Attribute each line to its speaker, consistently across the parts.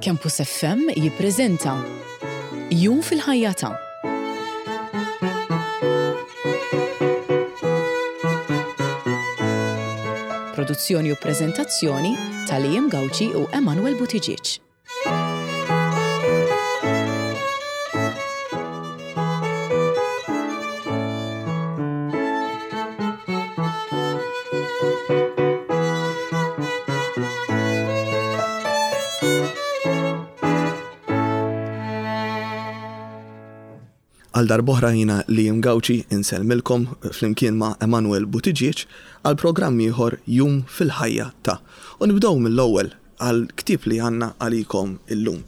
Speaker 1: Campus FM jippreżenta Jum fil-ħajja ta' Produzzjoni u preżentazzjoni ta' Liam Gauci u Emanuel Buttigieg.
Speaker 2: Għal darb'oħra jiena Liam Gauci insellmilkom flimkien ma' Emanuel Buttigieg għal programm ieħor Jum fil-Ħajja ta'. U nibdew mill-ewwel għall-ktieb li għandna għalikom illum.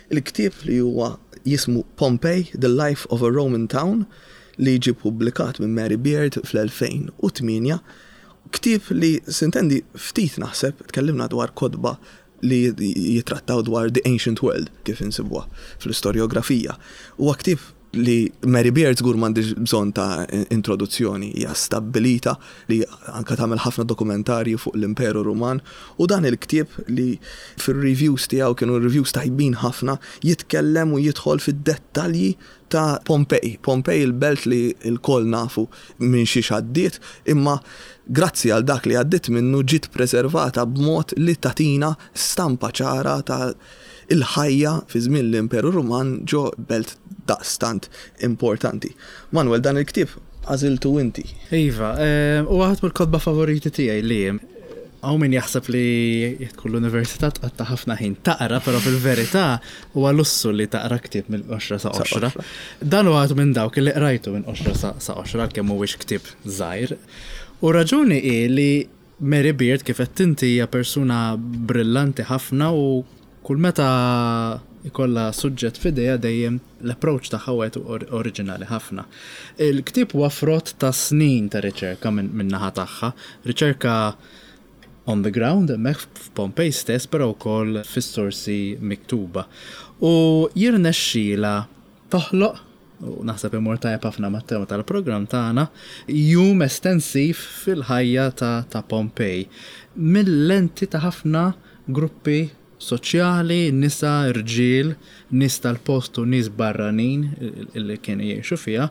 Speaker 2: Il-ktieb li huwa jismu Pompeii, The Life of a Roman Town li ġie ppubblikat minn Mary Beard fl-2008. Ktieb li sintendi ftit naħseb tkellimna dwar kotba li jittrattaw dwar the ancient world kif insibuha fl-istorjografija. Huwa ktieb li Mary Beard żgur m'għandhiex bżonn ta' introduzzjoni, hija stabbilita li anke tagħmel ħafna dokumentarji fuq l-Imperu Ruman u dan il-ktieb li fir-reviews tiegħu kienu reviews tajbin ħafna jitkellem u jidħol fid-dettalji ta' Pompej. Pompej il-belt li lkoll nafu minn xiex għaddiet, imma grazzi għal dak li għaddiet minnu ġiet preservata b'mod li tagħtina stampa ċara ta' il-ħajja fi żmien l-Imperu Ruman ġo belt daqstant importanti. Manuel, dan il-ktieb għażiltu inti.
Speaker 3: Iva, huwa waħed mill-kotba favoriti tiegħi li hawn min jaħseb li jekk tkun l-università tqatta' ħafna ħin taqra, però fil-verità huwa lussu li taqra ktieb minn qoxra sa qoxra. Dan huwa minn dawk li qrajtu minn qoxra sa qoxra għalkemm mhuwiex ktieb żgħir. U r-raġuni hi li Mary Beard kif għedt inti hija persuna brillanti ħafna u kull meta jkollha suġġett f'idejha dejjem l-approach tagħha wieħed oriġinali ħafna. Il-ktieb huwa frott ta' snin ta' riċerka min-naħa tagħha, riċerka on the ground hemmhekk f'Pompej stess però wkoll fis-sorsi miktuba. U jirnexxielha toħloq u naħseb imur tajjeb ħafna mat-tema tal-programm tagħna, jum estensiv fil-ħajja ta' ta' Pompej, mil-lenti ta' ħafna gruppi soċjali, nisa, rġiel, nies tal-post u nies barranin li kienu jgħixu fiha,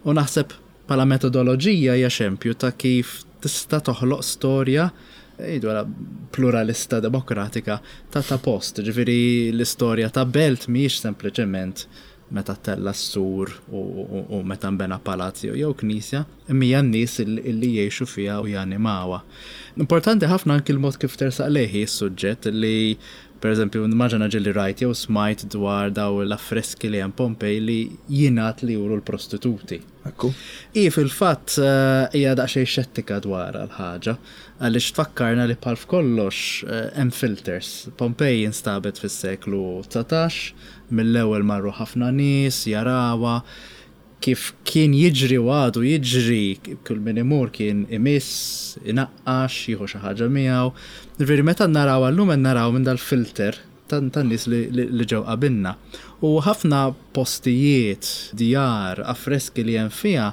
Speaker 3: u naħseb bħala metodoloġija hija xempju ta' kif tista' toħloq storja ngħidu pluralista demokratika ta' ta' post. Ġifieri l-istorja ta' belt mhijiex sempliċement meta ttella' s-sur u meta nbena palazz jew knisja, imma hija n-nies li jgħixu fiha u janimawha. Importanti ħafna anki l-mod kif tersaq lejh hi s-suġġett li, pereżempju, nimmaġina ġieli rajt jew smajt dwar dawn l-affreski li hemm Pompej li jingħad li juru l-prostituti.
Speaker 2: Ekku.
Speaker 3: Hi fil-fatt hija daqsxejn xettika dwarha l-ħaġa, għaliex tfakkarna li bħal f'kollox hemm filters. Pompej instabet fis-seklu 19, mill-ewwel marru ħafna nies jarawha, kif kien jiġri u għadu jiġri, kull min imur kien imiss, inaqqax, jieħu xi ħaġa miegħu. Jiġifieri meta narawha llum qed naraw minn dal-filter tan-nies li ġew qabilna. U ħafna postijiet, djar, affreski li hemm fiha,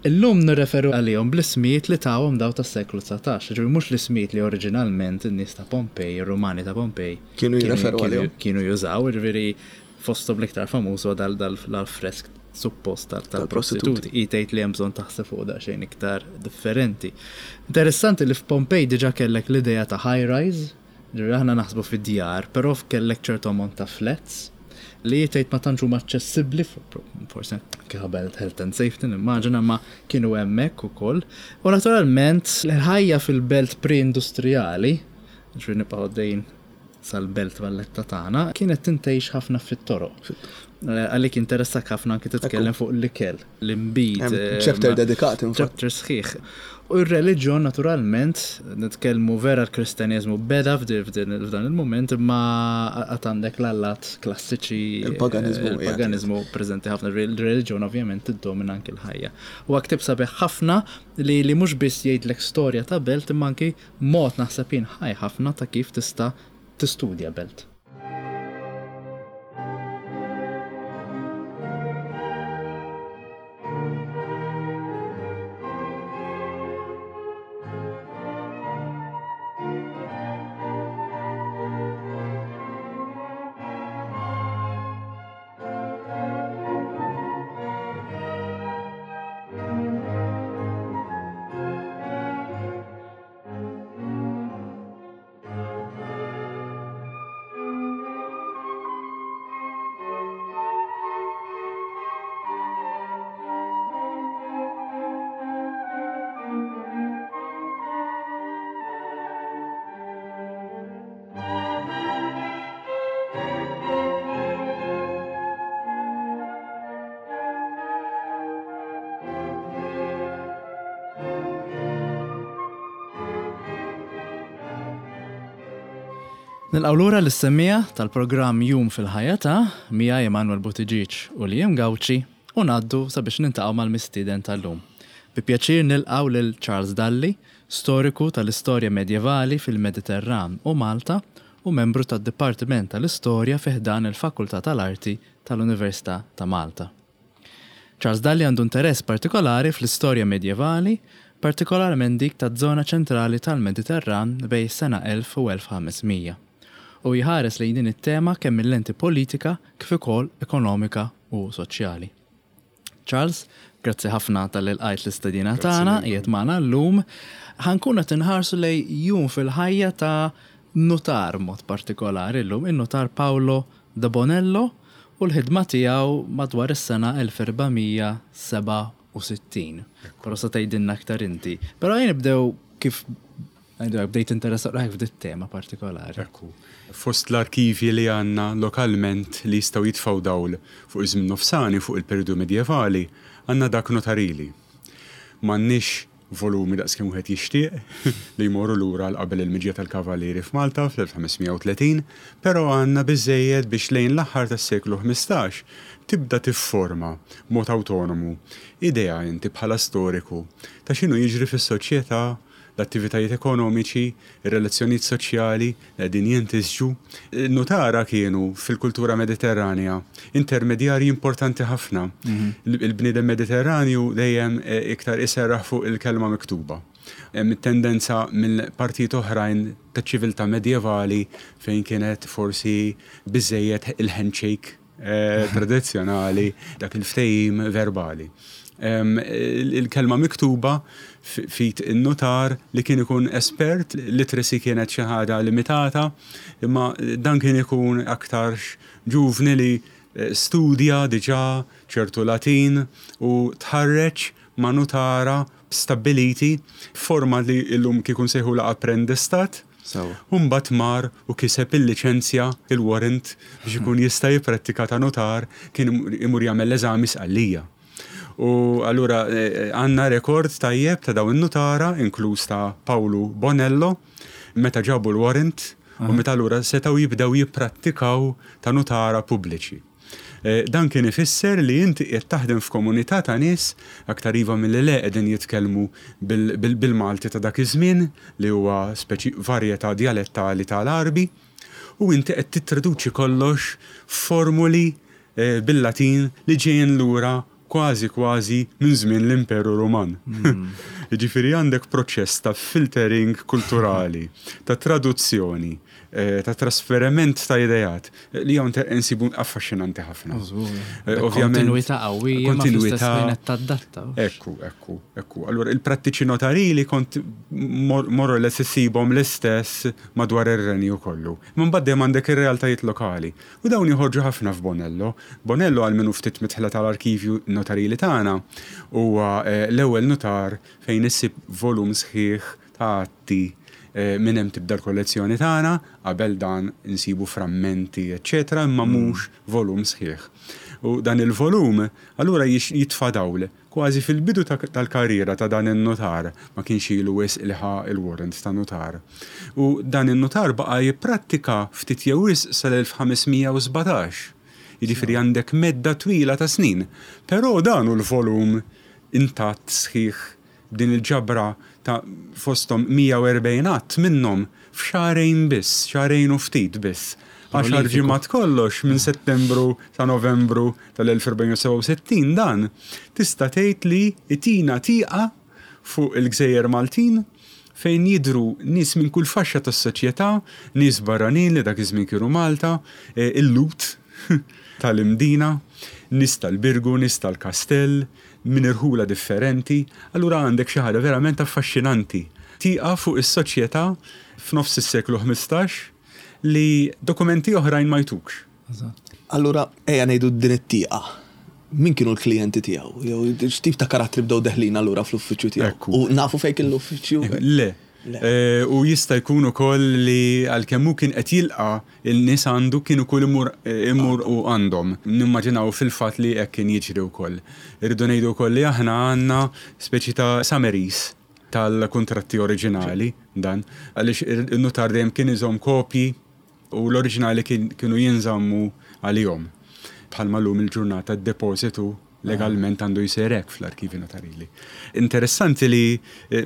Speaker 3: illum nirreferu għalihom bl-ismijiet li tawhom daw tas-seklu 19, jiġifieri mhux l-ismijiet li oriġinalment in-nies ta' Pompej, ir-Rumani ta' Pompej,
Speaker 2: kienu jirreferu għalihom.
Speaker 3: Kienu jużaw, jiġifieri fosthom l-iktar famuż huwa dal-affresk suppost tal-prostituti. Hi tgħid li hemm bżonn taħseb fuq daqsxejn iktar differenti. Interessanti li f'Pompej diġà kellek l-idea ta' high-rise, Ġifieri aħna naħsbu fi djar, però kellek ċertu ammont ta' flats li tgħid ma tantx huma aċċessibbli, forsi anke ħabel health and safety nimmaġina, imma kienu hemmhekk ukoll. U naturalment il-ħajja fil-belt pre-industrijali, ġifieri nibqgħu għaddejjin sal-belt Valletta tagħna, kienet tintgħix ħafna fit-toroq. Għalik jinteressak ħafna anke titkellem fuq l-ikel. l-inbid.
Speaker 2: Chapter dedikat,
Speaker 3: infatti. Chapter sħiħ. U r-reliġjon naturalment, nitkellmu vera l-Kristjaneżmu beda f'dan il-mument, imma għad għandek l-allat klassiċi.
Speaker 2: Il-paganiżmu.
Speaker 3: Il-paganiżmu preżenti ħafna, il-reliġjon ovvjament tiddomina anki l-ħajja. Huwa ktieb sabiħ ħafna li li mhux biss jgħidlek storja ta' belt imma anki mod naħseb jien ħaj ħafna ta' kif tista' tistudja belt. Nilqgħu lura lis-semmiegħa tal-programm Jum fil-Ħajja ta' miegħi Emanuel Buttigieg u Liam Gauci u ngħaddu sabiex niltaqgħu mal-mistieden tal-lum. Bi pjaċir nilqgħu lil Charles Dalli, storiku tal-istorja medjevali fil-Mediterran u Malta u membru tad-Dipartiment tal-Istorja fi ħdan il-Fakultà tal-Arti tal-Università ta' Malta. Charles Dalli għandu interess partikolari fl-istorja medjevali, partikolarment dik taż-żona ċentrali tal-Mediterran bejn is-sena 1000 u 1500, u jħares lejn din it-tema kemm mil-lenti politika kif ukoll ekonomika u soċjali. Charles, grazzi ħafna talli lqajt l-istedina tagħna, qiegħed magħna llum. Ħa nkunu qed inħarsu lejn jum fil-ħajja ta' nutar mod partikolari llum, in-nutar Paolo De Bonello u l-ħidma tiegħu madwar is-sena 1467. Però se tgħidilna aktar inti. Però ejja nibdew kif ngħidu hekk bdejt tinteressa ruħek f'dit tema partikolari.
Speaker 4: Ekku. Fost l-arkivji li għandna lokalment li jistgħu jitfgħu dawl fuq iż-żmien nofsani, fuq il-perjodu medjevali, għandna dak notarili. M'għandniex volumi daqs kemm wieħed jixtieq, li jmorru lura għal qabel il-miġja tal-Kavallieri f'Malta fl-1530, però għandna biżżejjed biex lejn l-aħħar tas-seklu 15 tibda tifforma b'mod awtonomu idea inti bħala storiku ta' x'inhu jiġri fis-soċjetà, l-attivitajiet ekonomiċi, ir-relazzjonijiet soċjali li qegħdin jintisġu. In-nutara kienu, fil-kultura Mediterranja, intermedjarji importanti ħafna. Il-bniedem Mediterranju dejjem iktar iserraħ fuq il-kelma miktuba. Hemm it-tendenza minn partijiet oħrajn taċ-ċiviltà medjevali fejn kienet forsi biżżejjed il-handshake tradizzjonali, dak il-ftehim verbali. Il-kelma miktuba f'id in-nutar li kien ikun espert, literacy kienet xi ħaġa limitata, imma dan kien ikun aktarx ġuvni li studja diġà ċertu Latin u tħarreġ ma' nutara stabbiliti f'forma li llum kieku nsejħulha apprendistat. U mbagħad mar u kiseb il-liċenzja, il-warrant, biex ikun jista' jipprattika ta' nutar, kien imur jagħmel l-eżami Sqallija. U allura għandna rekord tajjeb ta' dawn in-nutara, inkluż ta' Pawlu Bonello, meta ġabu l-warrant u meta allura setgħu jibdew jipprattikaw ta' nutara pubbliċi. Dan kien ifisser li inti qiegħed taħdem f'komunità ta' nies, aktar iva milli le qegħdin jitkellmu bil-Malti ta' dak iż-żmien, li huwa speċi varjetà djalettali ta' l-Għarbi, u inti qed tittraduċi kollox f'formuli bil-Latin li ġejjin lura kważi kważi minn żmien l-Imperu Ruman. Jiġifieri għandek proċess ta' filtering kulturali, ta' traduzzjoni, ta' trasferiment ta' ideat li hawn insibu affaxxinanti ħafna.
Speaker 3: Ovvjament. Kontinwità qawwija. Kontinwità. Tadatta.
Speaker 4: Ekku, ekku, ekku. Allura il-prattiċi notarili kont more or less issibhom l-istess madwar ir-renju kollu. Imma mbagħad dejjem għandek ir-realtajiet lokali. U dawn joħorġu ħafna f'Bonello. Bonello għal min hu ftit midħla tal-arkivju notarili tagħna, huwa l-ewwel nutar fejn issib volum sħiħ ta' atti minn hemm tibda l-kollezzjoni tagħna, qabel dan insibu frammenti eċċetera imma mhux volum sħiħ. U dan il-volum allura jitfa' dawl Kważi fil-bidu tal-karriera ta' dan in-nutar, ma kienx ilu wisq li ħa l-warrant ta' nutar. U dan in-nutar baqa' jipprattika ftit jew wisq sal-1517. Jiġifieri għandek medda twila ta' snin. Però dan hu l-volum intatt sħiħ b'din il-ġabra ta' fosthom 140 att minnhom f'xahrejn biss, xahrejn u ftit biss. Għaxar ġimgħat kollox minn Settembru sa Novembru tal-1467 dan tista' tgħid li jtina tieqa fuq il-gżejjer Maltin fejn jidhru nies minn kull faxxa tas-soċjetà, nies barranin li dak iż-żmien kienu Malta, il-Lhud tal-Imdina, nies tal-Birgu, nies tal-Kastell, minn irħula differenti, allura għandek xi ħaġa verament affaxxinanti. Tieqa fuq is-soċjetà f'nofs is-seklu 15 li dokumenti oħrajn ma jtukx.
Speaker 2: Allura ejja ngħidu din it-tieqa. Min kienu l-klijenti tiegħu? Jew x'tip ta' karattri bdew deħlin allura fl-uffiċċju tiegħu? U nafu fejn kien l-uffiċċju?
Speaker 4: Le. U jista' jkun ukoll li għalkemm hu kien qed jilqa' n-nies għandu kien ukoll imur imur hu għandhom. Nimmaġinaw fil-fatt li hekk kien jiġri wkoll. Irridu ngħidu wkoll li aħna għandna speċi ta' summaries tal-kuntratti oriġinali dan għaliex in-nutar dejjem kien iżomm kopji. U l-oriġinali kienu jinżammu għalihom. Bħalma llum il-ġurnata d-depożitu legalment għandu jsir hekk fl-arkivi notarili. Interessanti li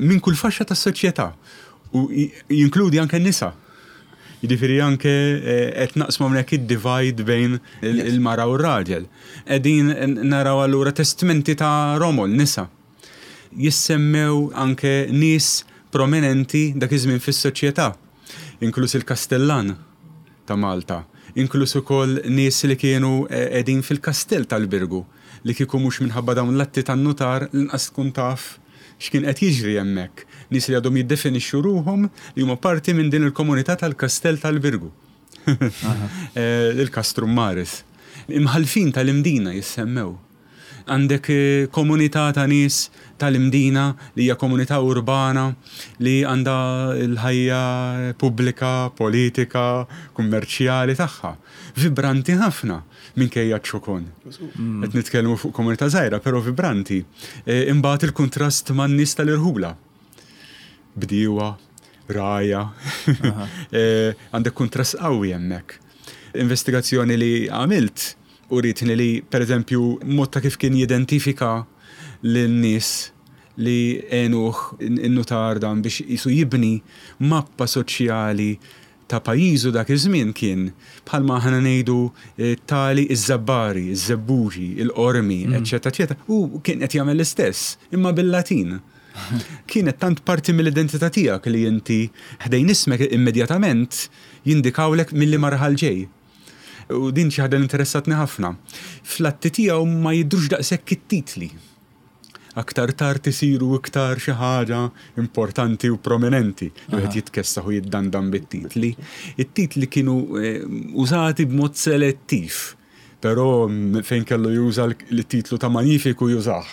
Speaker 4: minn kull faxxa tas-soċjetà u jinkludi anke n-nisa. Jiġifieri anke qed naqsmu hawnhekk id-divide bejn il-mara u r-raġel. Qegħdin naraw allura testmenti ta' romol, nisa. Jissemmew anke nies prominenti dak iż-żmien fis-soċjetà, inkluż il-Kastellan ta' Malta, inkluż ukoll nies li kienu qegħdin fil-kastell tal-Birgu, li kieku mhux minħabba dawn l-atti tan-nutar lanqas tkun taf x'kien qed jiġri hemmhekk, nies li għadhom jiddefinixxu ruħhom li huma parti minn din il-komunità tal-kastell tal-Birgu, il-Castrum Maris. Imħallfin tal-Imdina jissemmew. Għandek komunità ta' nies tal-Imdina li hija komunità urbana li għandha l-ħajja pubblika, politika, kummerċjali tagħha. Vibranti ħafna minkejja ċ-ċokon. Qed nitkellmu fuq komunità żgħira però vibranti. Imbagħad il-kuntrast man-nies tal-irħula. Bdiewa, rgħajja. Għandek kuntrast qawwi hemmhekk. Investigazzjoni li għamilt Urietni li, pereżempju, mod ta' kif kien jidentifika lin-nies li għenuh in-nutar dan biex qisu jibni mappa soċjali ta' pajjiżu dak iż-żmien kien, bħalma aħna ngħidu tali iż-Żabbari, iż-Żebbuġi, il-Qormi, eċċetera eċċetera, hu kien qed jagħmel l-istess, imma bil-Latin. Kienet tant parti mill-identità tiegħek li inti ħdejn ismek immedjatament jindikawlek minn liema raħal ġej. U din xi ħaġa li interessatni ħafna. Fl-atti tiegħu ma jidhrux daqshekk it-titli. Aktar tard isiru iktar xi ħaġa importanti u prominenti. Wieħed jitkessaħ u jiddandan bit-titli. It-titli kienu eh, użati b'mod selettiv. Però fejn kellu juża l-titlu ta' magnifiku jużah.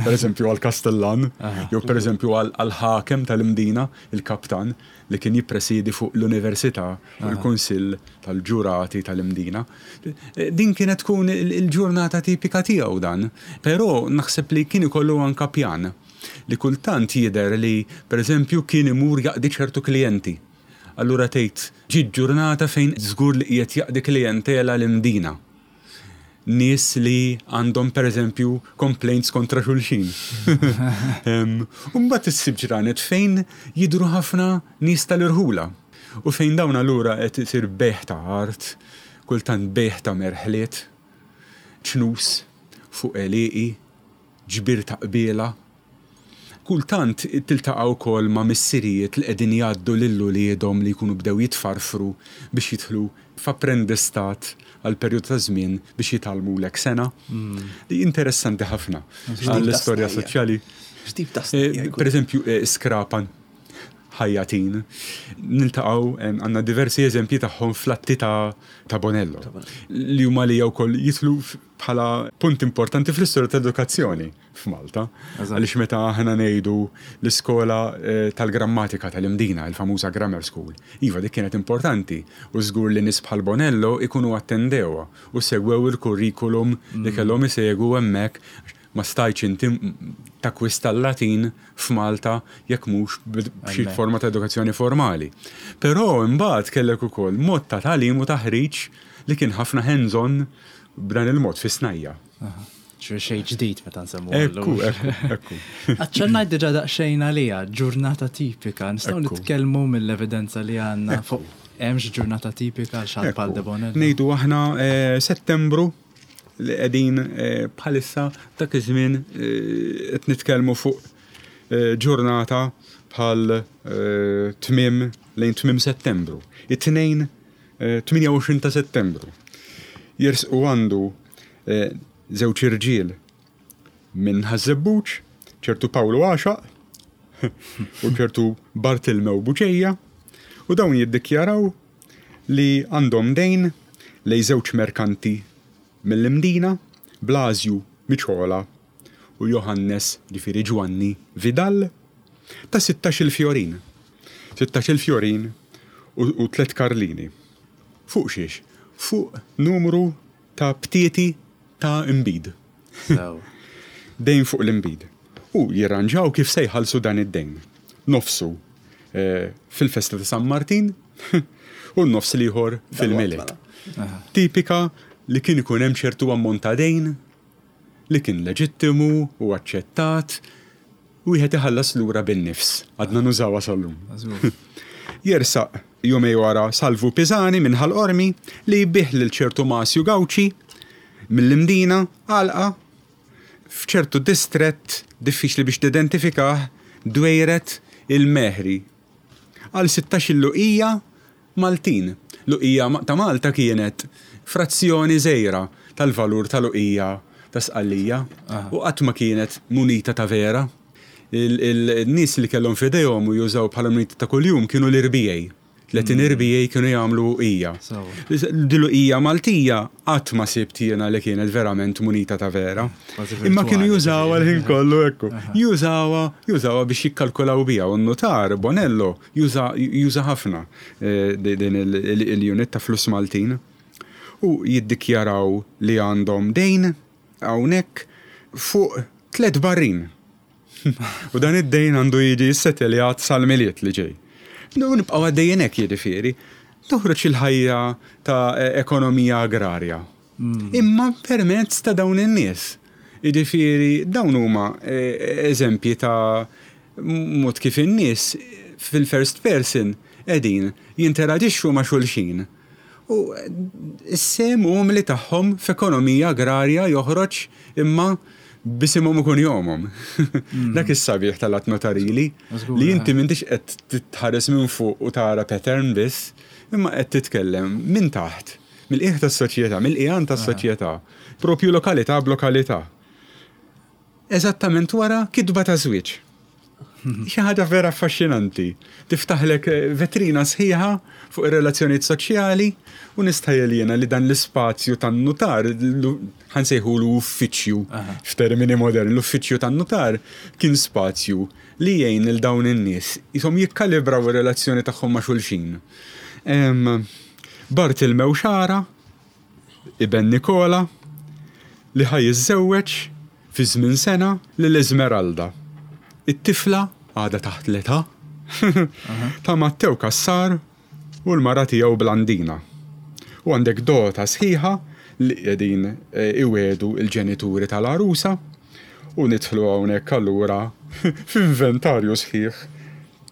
Speaker 4: Per eżempju għal-Kastellan, jew per eżempju għal-ħakem tal-Imdina, il-kaptan, li kien jippresiedi fuq l-Università, fuq il-Kunsill tal-Ġurati tal-Imdina. Din kienet tkun il-ġurnata tipika tiegħu dan, però naħseb li kien ikollu anka pjan li kultant jidher li pereżempju kien imur jaqdi ċertu klijenti. Allura tgħid ġiet ġurnata fejn żgur li qiegħed jaqdi klijentela l-Imdina. nies li għandhom pereżempju complaints kontra xulxin. U mbagħad issib ġranet fejn jidhru ħafna nies tal-irħula u fejn dawn allura qed isir bejgħ ta' art, kultant bejgħ ta' merħliet, ċnus fuq għelieqi, ġbir ta' qbiela. Kultant tiltaqa' wkoll ma' missirijiet li qegħdin jgħaddu lil uliedhom li jkunu bdew jitfarfru biex jidħlu f'apprendistat għal perjodu ta' żmien biex jitgħallmulek sengħa. Li interessanti ħafna għall-istorja soċjali.
Speaker 2: X'tip ta' snajja'?
Speaker 4: Pereżempju, skrapan, ħajjatin. Niltaqgħu, għandna diversi eżempji tagħhom fl-atti ta' Bonello. Li huma għalija wkoll jidħlu bħala punt importanti fl-istorja tal-edukazzjoni f'Malta. Għaliex meta aħna ngħidu l-iskola eh, tal-grammatika tal-Imdina, il-famuża Grammar School, iva dik kienet importanti u żgur li nies bħal Bonello ikunu attendewha u segwew il-kurrikulum li mm. kellhom isegwu hemmhekk ma stajtx inti takkwista l-Latin f'Malta jekk mhux b'xi forma ta' edukazzjoni formali. Però imbagħad kellek ukoll mod ta' tagħlim u taħriġ li kien ħafna hands-on b'dan il-mod fis-snajja.
Speaker 3: Ġifieri xejn ġdid meta nsemmu.
Speaker 4: Ekku, ekku, ekku.
Speaker 3: Aċċennajt diġà daqsxejn għaliha, ġurnata tipika. Nistgħu nitkellmu mill-evidenza li għandna fuq hemmx ġurnata tipika għal xi bħal Debono.
Speaker 4: Ngħidu aħna eh, Settembru li qegħdin eh, bħalissa dak iż-żmien eh, qed nitkellmu fuq ġurnata bħal tmiem lejn tmiem Settembru. It-tnejn 28 ta' Settembru, jersqu għandu żewġ irġiel minn Ħaż-Żebbuġ, ċertu Pawlu Għaxaq u ċertu Bartilmew Buċeja, u dawn jiddikjaraw li għandhom dejn lejn żewġ merkanti mill-Imdina, Blażju Miċola u Johannes, ġifieri Ġwanni, Vidal, ta' sittax-il fjorin. Sittax-il fjorin u tlett karlini. Fuq xiex? Fuq numru ta' btieti ta' inbid. Dejn fuq l-inbid. U jirranġaw kif se jħallsu dan id-dejn. Nofsu. fil-festa ta' San Martin u n-nofs l-ieħor fil-Milied. Tipika li kien ikun hemm ċertu ammont ta' dejn li kien leġittimu u aċċettat, wieħed iħallas lura bin-nifs. Għadna nużawha sal-lum. Jersaq jumej wara Salvu Pisani minn Ħal Qormi li jbigħ lil ċertu Masju Gauci mill-Imdina għalqa f'ċertu distrett diffiċli biex tidentifikah Dwejret il-Mehri għal sittax-il luqija Maltin. Luqija ta' Malta kienet frazzjoni żgħira tal-valur ta' luqija ta' Sqallija u qatt ma kienet munita ta' vera. Il-nies li kellhom f'idejhom u jużaw bħala munita ta' kuljum kienu l-irbiegħi. 30 irbiegħi kienu jagħmlu uqija. Din l-uqija Maltija qatt ma sibt jiena li kienet verament munita ta' vera. Imma kienu jużawha l-ħin kollu ekku. Jużawha, jużawha biex jikkalkulaw biha u n-nutar Bonello juża juża ħafna din il-unit ta' flus Maltin. U jiddikjaraw li għandhom dejn hawnhekk fuq tliet barrin. U dan id-dejn għandu jiġi sseteljat sal-Milied li ġej. U nibqgħu għaddejjin hekk jiġifieri. Toħroġ il-ħajja ta' ekonomija agrarja. Imma permezz ta' dawn in-nies. Jiġifieri dawn huma eżempji ta' mod kif in-nies fil-first person qegħdin jinteraġixxu ma' xulxin. U s-sehem umli tagħhom f'ekonomija agrarja joħroġ imma b'isimhom u kunjomhom. Dak is-sabiħ tal-att notarili, li inti m'intix qed tħares minn fuq u tara pattern biss, imma qed titkellem minn taħt, mill-qiegħ tas-soċjetà, mill-qiegħan tas-soċjetà, propju lokalità b'lokalità. Eżattament wara kitba ta' żwieġ. Xi ħaġa vera affaxxinanti. Tiftaħlek vetrina sħiħa fuq ir-relazzjonijiet soċjali u nistħajjel jiena li dan l-ispazju tan-nutar, ħa nsejħulu uffiċċju f'termini moderni, l-uffiċċju tan-nutar kien spazju li jgħin lil dawn in-nies qishom jikkalibraw ir-relazzjoni tagħhom ma' xulxin. Bartilmew Xara, iben Nikola, li ħa jiżżewweġ fi żmien sena lil Esmeralda, it-tifla, għadha taħt l-età, ta' Mattew Cassar u l-mara tiegħu Blandina. U għandek dota sħiħa li qegħdin iwiegħdu l-ġenituri tal-għarusa u nidħlu hawnhekk allura f'inventarju sħiħ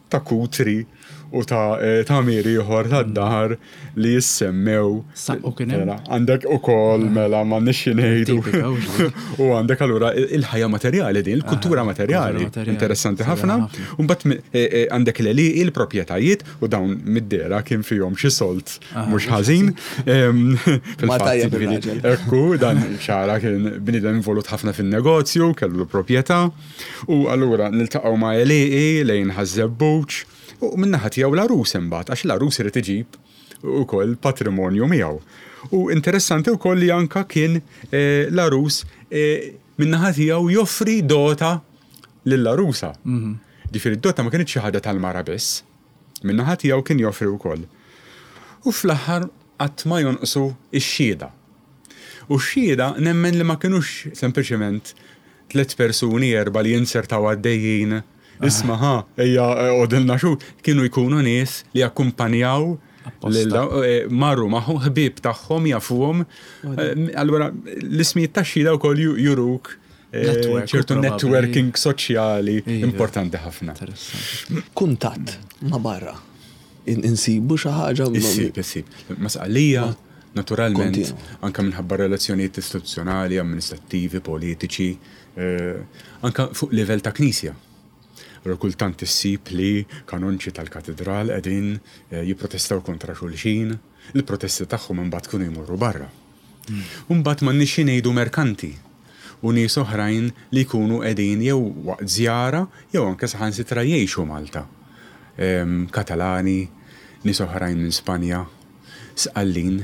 Speaker 4: ta' kutri u ta' tagħmir ieħor tad-dar li jissemmew.
Speaker 3: Saqqu kien hemm.
Speaker 4: Mela, għandek ukoll mela m'għandniex xi ngħidu. U għandek allura il-ħajja materjali din, il-kultura materjali. Interessanti ħafna. U mbagħad e, e, għandek l-għelieqi, l-proprjetajiet u dawn mid-dera kien fihom xi solt mhux ħażin.
Speaker 2: Fil-fatt,
Speaker 4: ekku, dan xara kien bniedem involut ħafna fin-negozju, kellu l-proprjetà. U allura niltaqgħu ma' għelieqi lejn Ħaż-Żebbuġ u min-naħa tiegħu l-għarus imbagħad għax l-għarus irid iġib ukoll patrimonju miegħu. U interessanti wkoll li anka kien l-għarus min-naħa tiegħu joffri dota lill-għarusa. Ġifieri d-dota ma kinitx xi ħaġa tal-mara biss. Min-naħa tiegħu kien joffri wkoll. U fl-aħħar qatt ma jonqsu x-xhieda. U x-xhieda nemmen li ma kinux sempliċement Tliet persuni, erbgħa li jinzertaw għaddejjin, isma' ħa, ejja għodilna xhud, kienu jkunu nies li jakkumpanjaw lil marru magħhom, ħbieb tagħhom jafuhom. Allura l-ismijiet tax-xhieda wkoll juruk ċertu networking soċjali importanti ħafna.
Speaker 2: Kuntatt ma' barra. Insibu xi ħaġa?
Speaker 4: Issib, issib. Ma' Sqallija, Naturalment, anke minħabba relazzjonijiet istituzzjonali, amministrattivi, politiċi, anke fuq livell ta' knisja. Allura kultant issib li kanonċi tal-katidral qegħdin jipprotestaw kontra xulxin, il-protesti tagħhom imbagħad kienu jmorru barra. U mbagħad m'għandniex xi ngħidu merkanti u nies oħrajn li jkunu qegħdin jew waqt żjara jew anke saħansitra jgħixu Malta. Katalani, nies oħrajn minn Spanja. Sqallin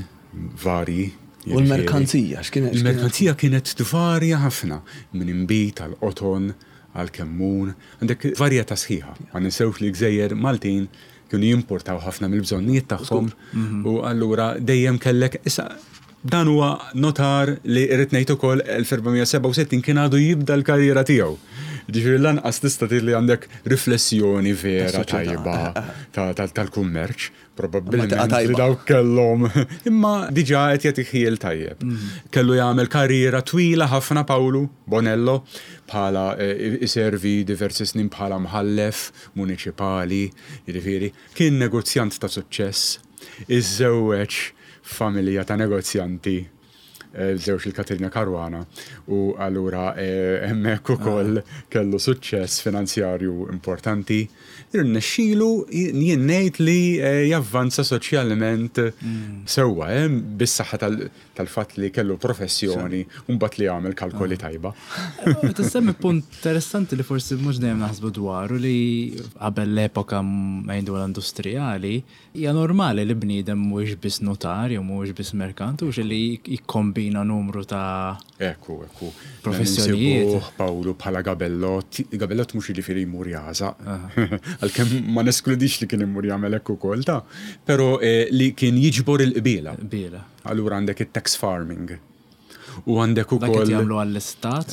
Speaker 4: varji.
Speaker 2: U l-merkanzija, x'kienet?
Speaker 4: Il-merkanzija kienet tvarja ħafna, minn inbid għal qoton, għal kemmun, għandek varjetà sħiħa. Ma ninsewx li l-gżejjer Maltin kienu jimportaw ħafna mill-bżonnijiet tagħhom u allura dejjem kellek issa dan huwa notar li rrid ngħid ukoll 1467 kien għadu jibda l-karriera tiegħu. Ġifieri lanqas tista' tgħid li għandek riflessjoni vera tajba tal-kummerċ. Probabbilment li dawk kellhom. Imma diġà qed jagħti ħjiel tajjeb. Kellu jagħmel karriera twila ħafna Pawlu Bonello bħala iservi diversi snin bħala mħallef muniċipali, jiġifieri kien negozjant ta' suċċess, iżżewweġ f'familja ta' negozjanti żewġ lil Katerina Caruana u allura hemmhekk ukoll kellu suċċess finanzjarju importanti. Irnexxielu jien ngħid li javvanza soċjalment sewwa bis-saħħa tal-fatt li kellu professjoni u mbagħad li għamel kalkoli tajba.
Speaker 3: Meta semmi punt interessanti li forsi mhux dejjem naħsbu dwaru li qabel l-epoka ngħidu l-industrijali, Hija normali li bniedem mhuwiex biss nutar jew mhuwiex biss merkant, hux li jikkombina numru ta'
Speaker 4: Ekku, ekku.
Speaker 3: Professjonijiet.
Speaker 4: Insibuh Pawlu bħala gabellott, gabellott mhux jiġifieri jmur jagħżaq, għalkemm ma neskludix li kien imur jagħmel hekk ukoll ta', però li kien jiġbor il-qbiela.
Speaker 3: Qbiela.
Speaker 4: Allura għandek it-tax farming. U għandek ukoll.
Speaker 3: Dak qed jagħmlu għall-istat?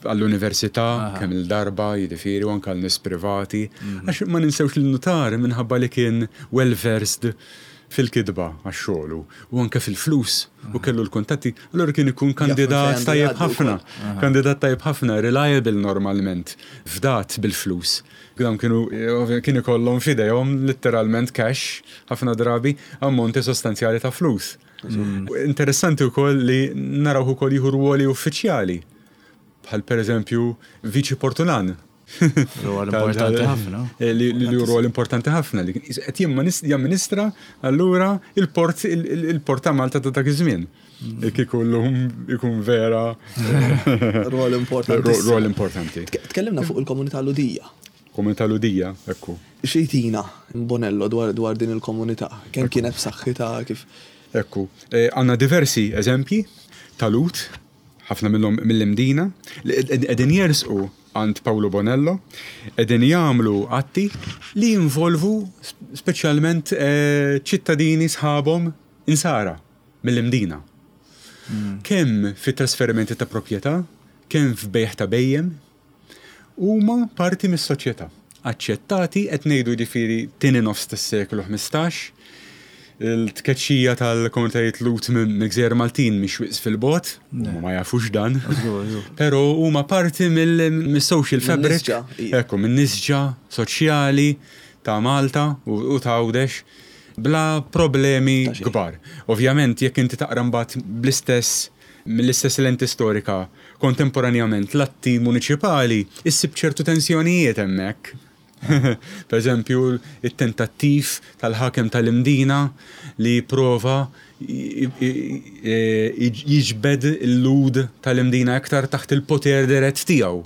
Speaker 4: Għall-università kemm il-darba, jiġifieri, u anke għal nies privati. Għax ma ninsewx li n-nutar minħabba li kien well versed fil-kitba għax xogħlu u anke fil-flus u kellu l-kuntatti, allura kien ikun kandidat tajjeb ħafna. Kandidat tajjeb ħafna, reliable normalment, fdat bil-flus. Dawn kienu kien ikollhom f'idejhom litteralment cash ħafna drabi ammonti sostanzjali ta' flus. Interessanti wkoll li narawh ukoll jieħu rwoli uffiċjali, bħal pereżempju viċi portulan.
Speaker 3: Rwol importanti ħafna.
Speaker 4: Li hu rwol importanti ħafna li qed jamministra allura il-port il-port ta' Malta ta' dak iż-żmien. Kieku llum ikun vera.
Speaker 2: Rwol importanti.
Speaker 4: Rwol importanti.
Speaker 2: Tkellimna fuq il-komunità Lhudija.
Speaker 4: Komunità Lhudija, ekku.
Speaker 2: Xi jtina Bonello dwar dwar din il-komunità? Kemm kienet b'saħħitha, kif?
Speaker 4: Ekku. Għandna diversi eżempji ta' Lhud, ħafna minnhom mill-Imdina, li qegħdin jersqu għand Pawlu Bonello, qegħdin jagħmlu atti li jinvolvu speċjalment ċittadini sħabhom Insara mill-Imdina. Kemm fit-trasferimenti ta' proprjetà, kemm f'bejgħ ta' bhejjem, huma parti mis-soċjetà. Aċċettati, qed ngħidu jiġifieri tieni nofs tas-seklu 15, il-tkeċċija tal-komunitajiet Lhud mill-gżejjer Maltin mhix wisq fil-bogħod, huma ma jafux dan, però huma parti mis-social fabric, ekku, min-nisġa soċjali ta' Malta u ta' Għawdex bla problemi kbar. Ovvjament jekk inti taqra mbagħad bl-istess mill-istess lenti storika kontemporanjament l-atti muniċipali, issib ċertu tensjonijiet hemmhekk. Per eżempju, it-tentattiv tal-ħakem tal-Imdina li jipprova jiġbed il-Lhud tal-Imdina iktar taħt il-poter dirett tiegħu.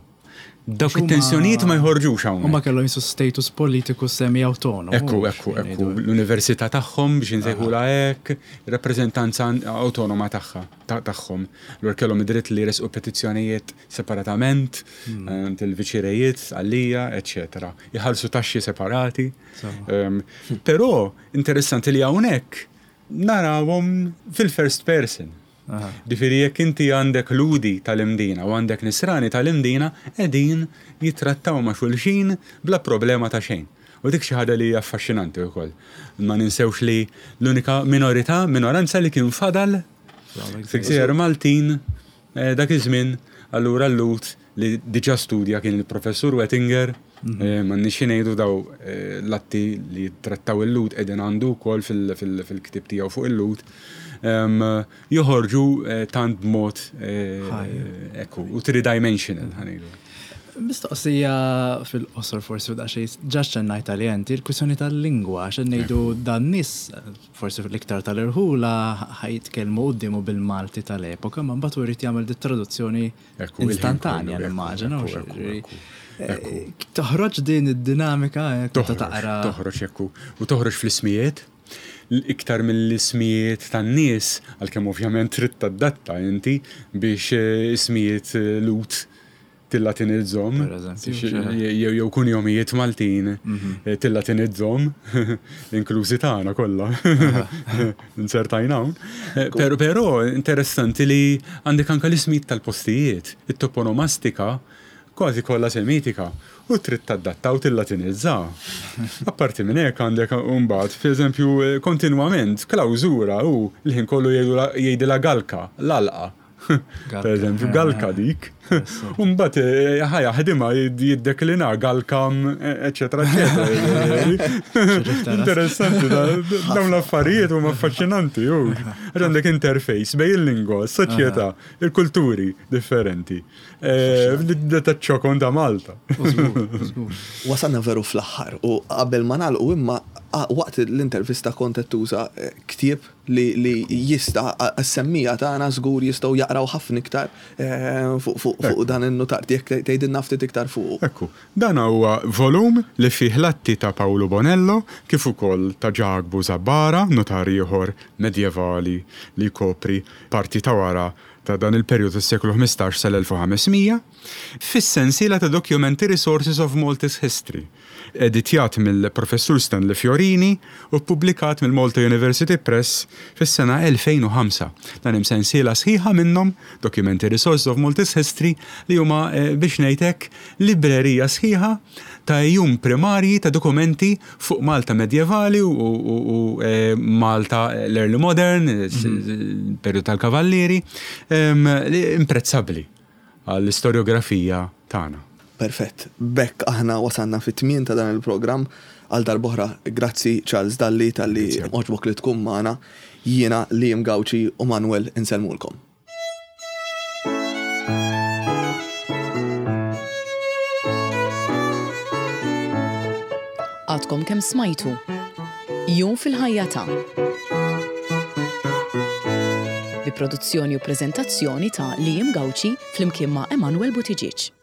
Speaker 4: Dawk it-tensjonijiet ma jħorġux hawnhekk.
Speaker 3: Huma kellhom jisu status politiku semi-awtonomu.
Speaker 4: Ekku, ekku, ekku. L-università tagħhom biex insejħulha hekk, rappreżentanza awtonoma tagħha, tagħhom. Allura kellhom id-dritt li jressqu petizzjonijiet separatament, għand il-viċirejiet, għalija, eċċetera. Iħallsu taxxi separati. Però interessanti li hawnhekk narawhom fil-first person. Ġifieri jekk inti għandek Lhudi tal-Imdina u għandek Nisrani tal-Imdina qegħdin jittrattaw ma' xulxin bla problema ta' xejn. U dik xi ħaġa li hija affaxxinanti wkoll. Ma ninsewx li l-unika minorità, minoranza li kien fadal fil-gżejjer Maltin dak iż-żmien, allura l-Lhud li diġà studja kien il-Professur Wettinger, m'għandniex xi ngħidu daw l-atti li jittrattaw il-Lhud qegħdin għandu wkoll fil-ktieb tiegħu fuq il-Lhud, joħorġu tant b'mod ekku, u three-dimensional ħa ngħidu.
Speaker 3: Mistoqsija fil-qosor forsi u daqsxejn ġa xxennajt għaliha inti, il-kwistjoni tal-lingwa, għax qed ngħidu dan nies forsi l-iktar tal-irħula ħa jitkellmu quddiemu bil-Malti tal-epoka, ma mbagħad hu jrid jagħmel dit-traduzzjoni Instantanja nimmaġina. Toħroġ din id-dinamika
Speaker 4: ta' taqra. Toħroġ ekku. U toħroġ fl-ismijiet. Iktar mill-ismijiet tan-nies, għalkemm ovvjament trid tadatta inti biex ismijiet Lhud tillatinizzhom. Jew kunjomijiet Maltin tillatinizzhom, inklużi tagħna kollha. Inzertajna hawn. Però interessanti li għandek anke l-ismijiet tal-postijiet, it-toponomastika. kważi kollha Semitika u trid tadatta u tillatinizza. Apparti minn hekk għandek imbagħad, pereżempju, kontinwament klawżura hu l-ħin kollu jgħidilha galka, l-għalqa. Per eżempju, galka dik. Umbat eh, ħajja ħdima jiddeklina galkam, eccetera, eccetera. Interessanti, dawn l-affarijiet huma affaxxinanti, Għax għandek interface bej il-lingwa, s-soċjetà, il-kulturi differenti. Eh, ta' ċokon ta' Malta.
Speaker 2: Wasalna veru fl-aħħar u qabel ma nagħlqu imma waqt l-intervista kont qed tuża eh, ktieb li jista' għas-semmiegħa tagħna żgur jistgħu jaqraw ħafna iktar eh, fuq dan in-nutar. Jekk tgħidilna ftit iktar fuqu.
Speaker 4: Ekku, dan huwa volum li fih l-atti ta' Pawlu Bonello kif ukoll ta' Ġakbu Zabbara, nutar ieħor medjevali li jkopri parti ta' wara ta' dan il-perjodu tas-seklu 15 sal-1500, fis-sensiela ta' dokumenti Resources of Maltese History, editjat mill-Professur Stanley Fiorini u ppubblikat mill-Malta University Press fis-sena 2005. Dan hemm sensiela sħiħa minnhom, Documentary Resources of Maltese History, li huma, biex ngħid hekk, librerija sħiħa ta' għejun primarji ta' dokumenti fuq Malta medjevali u Malta l-early modern, il-perjodu tal-Kavallieri, imprezzabbli għall-istorjografija tagħna.
Speaker 2: Perfett. B'hekk aħna wasalna fit-tmien ta' dan il-programm. Għal darb'oħra grazzi Charles Dalli talli għoġbok li tkun magħna. Jiena Liam Gauci u Manuel insellmulkom.
Speaker 1: Għadkom kemm smajtu Jum fil-ħajja ta' bi produzzjoni u preżentazzjoni ta' Liam Gauci flimkien ma' Emanuel Buttigieg.